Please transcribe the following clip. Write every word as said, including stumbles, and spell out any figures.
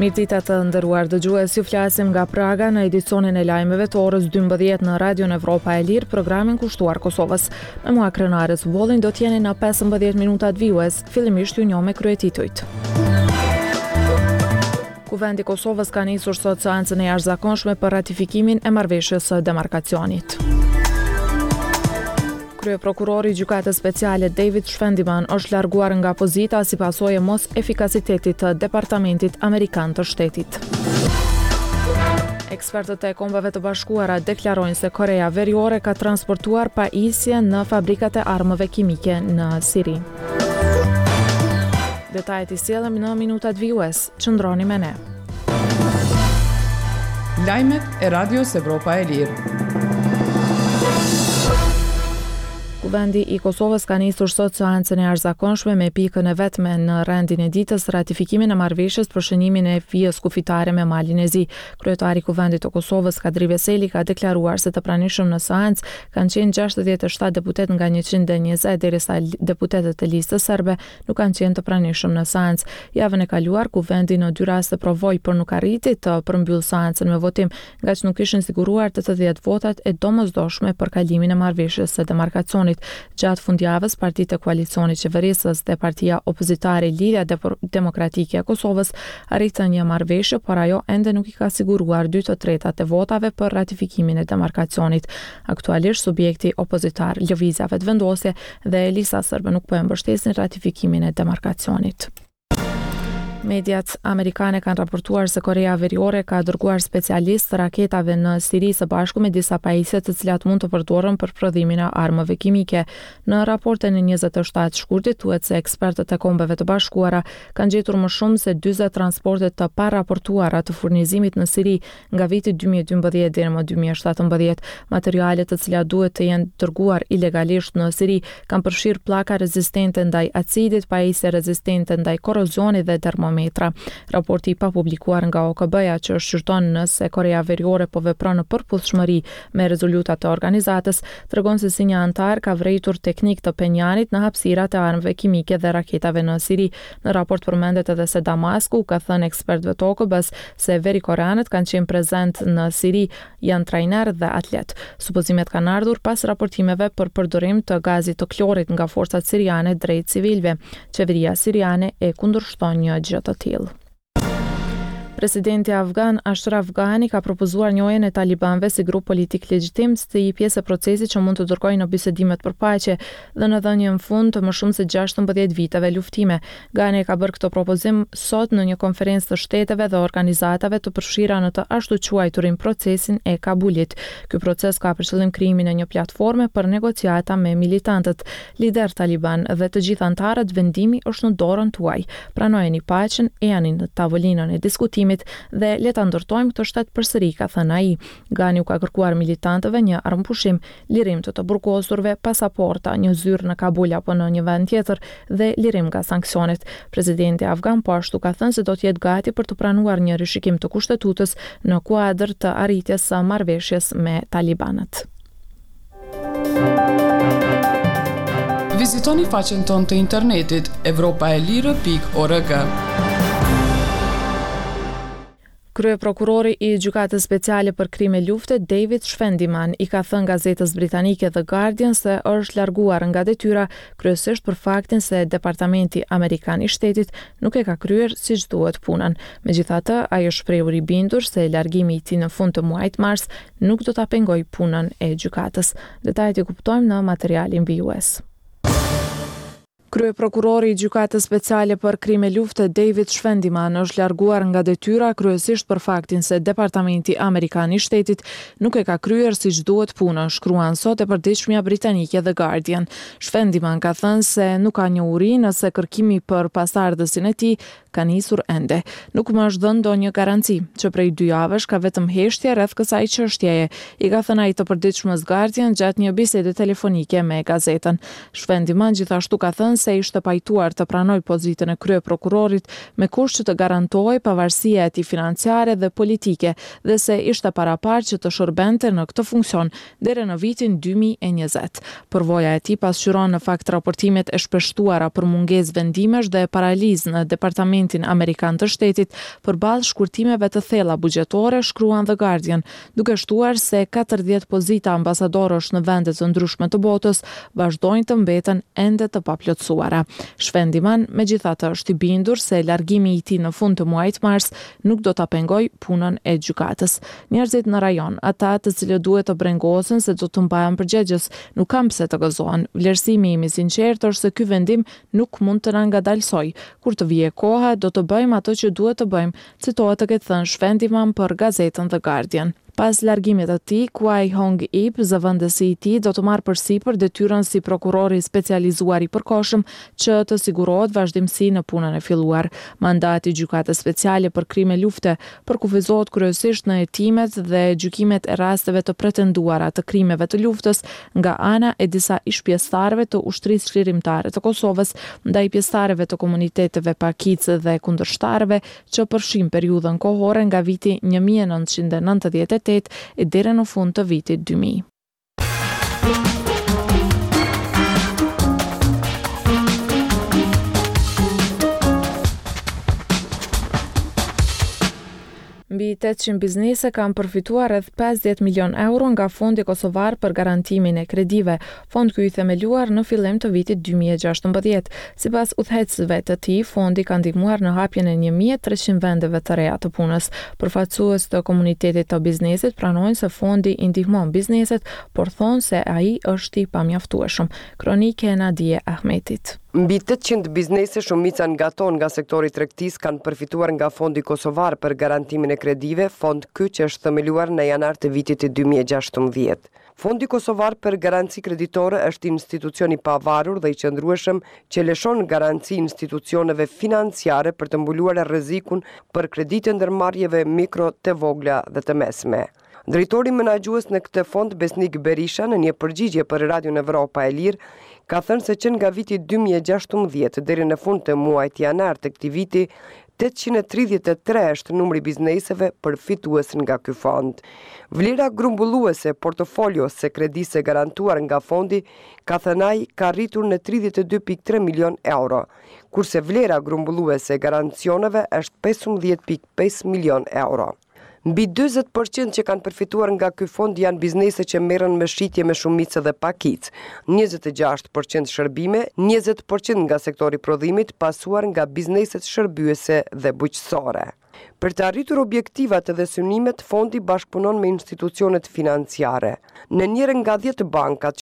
Mirëdita të nderuar dëgjues, ju flasim nga Praga në edicionin e lajmeve të orës dymbëdhjetë në Radion Evropa e Lirë, programin kushtuar Kosovës. Me mua Krenare Bollin do t'jeni në pesëmbëdhjetë minutat vijues, fillimisht ju njoh me kryetitujt. Kuvendi i Kosovës ka nisur sot seancën e jashtëzakonshme për ratifikimin e marrëveshjes së demarkacionit. Kryeprokurori i Gjykatës Speciale David Schwendiman është larguar nga pozita si pasojë e mos efikasitetit të Departamentit Amerikan të Shtetit. Ekspertët e Kombeve të Bashkuara deklarojnë se Korea Veriore ka transportuar pajisje në fabrikat e armëve kimike në Siri. Detajet i sjellim në minutat vijues. Qëndroni me ne. Lajmet e Radios Evropa e Lirë. Kuvendi i Kosovës ka nisur sot seancën e jashtëzakonshme me pikën e vetme në rendin e ditës, ratifikimin e marrëveshjes për shënimin e vijës kufitare me Malin e Zi. Kryetari i Kuvendit të Kosovës, Kadri Veseli, ka deklaruar se të pranishëm në seancë kanë qenë gjashtëdhjetë e shtatë deputet nga njëqind e njëzet, derisa deputetët e listës serbe nuk kanë qenë të pranishëm në seancë. Javën e kaluar, Kuvendi në dy raste provoi, por nuk arriti të përmbyllë seancën me votim, ngaqë nuk ishin siguruar tetëdhjetë votat e domosdoshme për kalimin e marrëveshjes së demarkacionit. Gjatë fundjavës, partitë e koalicionit qeverisës dhe partia opozitare Lidhja Demokratike e Kosovës arritën një marrëveshje, por ajo ende nuk i ka siguruar dy të tretat e votave për ratifikimin e demarkacionit. Aktualisht, subjekti opozitar Lëvizja Vetëvendosje dhe Lista Serbe nuk po e mbështesin ratifikimin e demarkacionit. Mediat amerikane kanë raportuar se Korea Veriore ka dërguar specialistë të raketave në Siri së bashku me disa pajisje të cilat mund të përdoren për prodhimin e armëve kimike. Në raportin e njëzet e shtatë shkurtit thuhet se ekspertët e Kombeve të Bashkuara kanë gjetur më shumë se dyzet transporte të paraportuara të furnizimit në Siri nga viti dy mijë e dymbëdhjetë deri më dy mijë e shtatëmbëdhjetë. Materiale të cilat duhet të jenë dërguar ilegalisht në Siri kanë përfshirë pllaka rezistente ndaj acidit, pajisje rezistente ndaj korrozionit dhe termometra. Raporti i papublikuar nga O K B-ja që shqyrton nëse Korea Veriore po vepron në përputhshmëri me rezolutat e organizatës, tregon se si një antar ka vrejtur teknik të Penjanit në hapësirat e armëve kimike dhe raketave në Siri. Në raport përmendet edhe se Damasku ka thënë ekspertëve të O K B-s se verikoreanët kanë qenë prezent në Siri, janë trajner dhe atlet. Supozimet kanë ardhur pas raportimeve për përdorim të gazit të klorit nga forcat siriane drejt civilëve. Qeveria siriane e kundërshton një gjë të tillë. Presidenti afgan Ashraf Ghani ka propozuar njohjen e talibanëve si grup politik legjitim si pjesë e procesit që mund të dërgojë në bisedimet për paqe dhe në dhënien fund të më shumë se gjashtëmbëdhjetë viteve luftime. Ghani ka bërë këtë propozim sot në një konferencë të shteteve dhe organizatave të përfshira në të ashtuquajturin procesin e Kabulit. Ky proces ka për qëllim krijimin e një platforme për negociata me militantët, lider taliban dhe të gjithë antarët. Vendimi është në dorën tuaj. Pranojeni paqen, ejani në tavolinën e diskutimit dhe le ta ndërtojmë këtë shtet përsëri, ka thënë ai. Ghani u ka kërkuar militantëve një armëpushim, lirim të të burgosurve, pasaporta, një zyrë në Kabul apo në një vend tjetër dhe lirim nga sanksionet. Presidenti afgan po ashtu ka thënë se do të jetë gati për të pranuar një rishikim të kushtetutës në kuadër të arritjes së marrëveshjes me talibanët. Vizitoni faqen tonë të internetit evropa e lirë pikë org. Kryeprokurori i Gjykatës Speciale për Krime Lufte, David Schwendiman, i ka thënë gazetës britanike The Guardian se është larguar nga detyra kryesisht për faktin se Departamenti Amerikan i Shtetit nuk e ka kryer siç duhet punën. Megjithatë, ai është shprehur i bindur se largimi i tij në fund të muajit mars nuk do ta pengojë punën e gjykatës. Detajet i kuptojmë në materialin vijues. Kryeprokurori i Gjykatës Speciale për Krime Lufte, David Schwendiman, është larguar nga detyra kryesisht për faktin se Departamenti Amerikan i Shtetit nuk e ka kryer siç duhet punën, shkruan sot e përditshmja britanike The Guardian. Schwendiman ka thënë se nuk ka njohuri nëse kërkimi për pasardhësin e tij ka nisur ende. Nuk më është dhënë ndonjë garanci, që prej dy javësh ka vetëm heshtje rreth kësaj çështjeje, i ka thënë ai të përditshmës Guardian gjatë një bisede telefonike me gazetën. Schwendiman gjithashtu ka thënë se ishte pajtuar të pranojë pozitën e kryeprokurorit me kusht që të garantohej pavarësia e tij financiare dhe politike dhe se ishte paraparë që të shërbente në këtë funksion deri në vitin dy mijë e njëzet. Përvoja e tij pasqyron në fakt raportimet e shpeshtuara për mungesë vendimesh dhe paralizë në Departamentin Amerikan të Shtetit përballë shkurtimeve të thella buxhetore, shkruan The Guardian, duke shtuar se katërdhjetë pozita ambasadorësh në vende të ndryshme të botës vazhdojnë të mbeten ende të paplotësuara. Schwendiman, megjithatë, është i bindur se largimi i tij në fund të muajit mars nuk do ta pengojë punën e gjykatës. Njerëzit në rajon, ata të cilët duhet të brengosen se do të mbahen përgjegjës, nuk kanë pse të gëzohen. Vlerësimi im i sinqertë është se ky vendim nuk mund të na ngadalësojë. Kur të vijë koha, do të bëjmë atë që duhet të bëjmë, citohet të ketë thënë Schwendiman për gazetën The Guardian. Pas largimit të tij, Quai Hong Ip, zëvendësi i tij, do të marrë përsipër detyrën si prokuror i specializuar i përkohshëm që të sigurohet vazhdimësi në punën e filluar. Mandati i Gjykatës Speciale për Krime Lufte përkufizohet kryesisht në hetimet dhe gjykimet e rasteve të pretenduara të krimeve të luftës nga ana e disa ish-pjesëtarëve të Ushtrisë Çlirimtare të Kosovës ndaj pjesëtarëve të komuniteteve pakicë dhe kundërshtarëve që përfshin periudhën kohore nga viti një mijë e nëntëqind e nëntëdhjetë e tetë e deri në fund të vitit dy mijë. Mbi tetëqind biznese kanë përfituar rreth pesëdhjetë milion euro nga Fondi Kosovar për Garantimin e Kredive, fond ky i themeluar në fillim të vitit dy mijë e gjashtëmbëdhjetë. Sipas udhëheqësve të tij, fondi ka ndihmuar në hapjen e një mijë e treqind vendeve të reja të punës. Përfaqësues të komunitetit të biznesit pranojnë se fondi i ndihmon bizneset, por thonë se ai është i pamjaftueshëm. Kronike e Nadie Ahmetit. Mbi tetëqind biznese, shumica nga to nga sektori i tregtisë, kanë përfituar nga Fondi Kosovar për Garantimin e Kredive, fond ky që është themeluar në janar të vitit dy mijë e gjashtëmbëdhjetë. Fondi Kosovar për Garanci Kreditore është institucion i pavarur dhe i qëndrueshëm që lëshon garanci institucioneve financiare për të mbuluar rrezikun për kreditë e ndërmarrjeve mikro, të vogla dhe të mesme. Drejtori menaxhues në këtë fond, Besnik Berisha, në një përgjigje për Radion Evropa e Lirë, ka thënë se që nga viti dy mijë e gjashtëmbëdhjetë deri në fund të muajit janar të këtij viti, tetëqind e tridhjetë e tre është numri i bizneseve përfitues nga ky fond. Vlera grumbulluese portofolios së kredisë së garantuar nga fondi, ka thënë ai, ka rritur në tridhjetë e dy pikë tre milion euro, kurse vlera grumbulluese e garancioneve është pesëmbëdhjetë pikë pesë milion euro. Mbi dyzet përqind që kanë përfituar nga ky fond janë biznese që merren me shitje me shumicë dhe pakicë, njëzet e gjashtë përqind shërbime, njëzet përqind nga sektori i prodhimit, pasuar nga bizneset shërbyese dhe bujqësore. Për të arritur objektivat dhe synimet, fondi bashkëpunon me institucionet financiare. Në njërën nga dhjetë bankat